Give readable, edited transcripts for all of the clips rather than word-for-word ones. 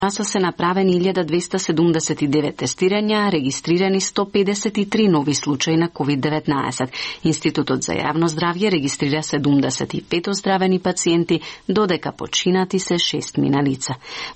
Са се направени 1279 тестирања, регистрирани 153 нови случаи на COVID-19. Институтот за јавно здравје регистрира 75 оздравени пациенти, додека починати се 6 мина лица.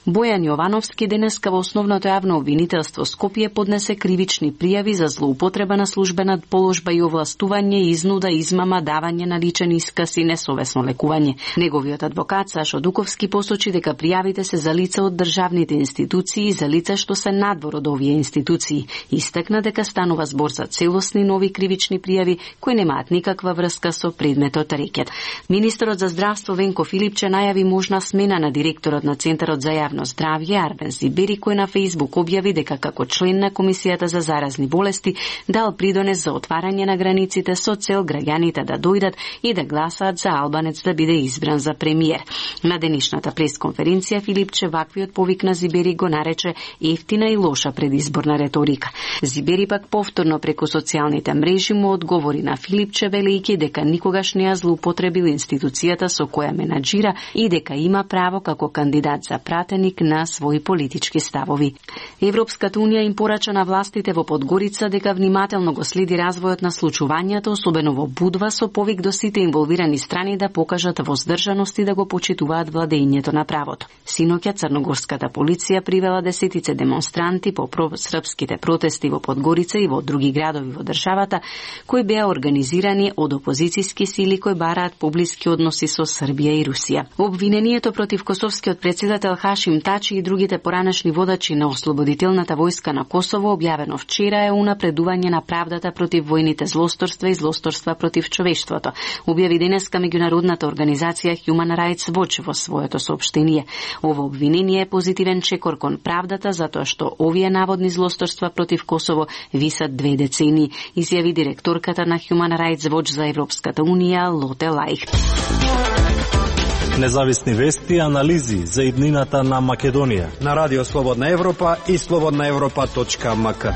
Бојан Јовановски денеска во основното јавно обвинителство Скопје поднесе кривични пријави за злоупотреба на службена положба и овластување, изнуда, измама, давање на личен исказ и несовесно лекување. Неговиот адвокат Сашо Дуковски посочи дека пријавите се за лица од државните институции и за лица што се надвор од овие институции. Истакна дека станува збор за целосни нови кривични пријави кои немаат никаква врска со предметот рекет. Министерот за здравство Венко Филипче најави можна смена на директорот на Центарот за јавно здравје Арбен Зибери, кој на Фејсбук објави дека како член на Комисијата за заразни болести дал придонес за отварање на границите со цел граѓаните да дојдат и да гласаат за албанец да биде избран за премиер. На денешната пресконференција Филипче ваквиот повик на Зибери го нарече ефтина и лоша предизборна реторика. Зибери пак повторно преку социјалните мрежи му одговори на Филипче велејќи дека никогаш не ја злоупотребил институцијата со која менаџира и дека има право како кандидат за пратеник на своји политички ставови. Европската унија им порача на властите во Подгорица дека внимателно го следи развојот на случувањата, особено во Будва, со повик до сите инволвирани страни да покажат воздржаност и да го почитуваат владењето на правото. Синоќа црногорската полиција привела десетице демонстранти по српските протести во Подгорица и во други градови во државата, кои беа организирани од опозицијски сили кои бараат поблиски односи со Србија и Русија. Обвинението против косовскиот председател Хашим Тачи и другите поранешни водачи на Ослободителната војска на Косово, објавено вчера, е унапредување на правдата против војните злосторства и злосторства против човештвото, објави денеска меѓународната организација Human Rights Watch во своето соопштение. Ово обвинение е позитивен чекор кон правдата затоа што овие наводни злосторства против Косово висат 2 децении, изјави директорката на Human Rights Watch за Европската унија Лоте Лајхт. Независни вести и анализи за иднината на Македонија на Радио Слободна Европа и slobodnaevropa.mk.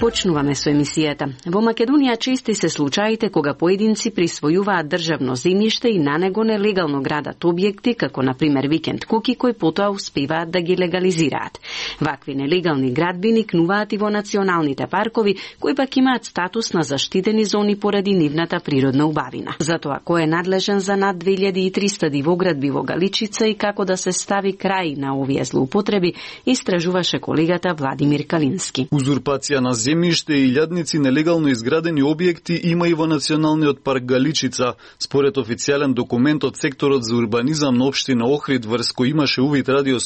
Почнуваме со емисијата. Во Македонија чести се случаите кога поединци присвојуваат државно земјиште и на него нелегално градат објекти, како на пример викенд куки, кои потоа успеваат да ги легализираат. Вакви нелегални градби никнуваат и во националните паркови, кои пак имаат статус на заштитени зони поради нивната природна убавина. Затоа кој е надлежен за над 2300 дивоградби во Галичица и како да се стави крај на овие злоупотреби, истражуваше колегата Владимир Калински. Узурпација на земјиште и илјадници нелегално изградени објекти има и во Националниот парк Галичица. Според официјален документ од секторот за урбанизам на општина Охрид, врз кој имаше увид Радио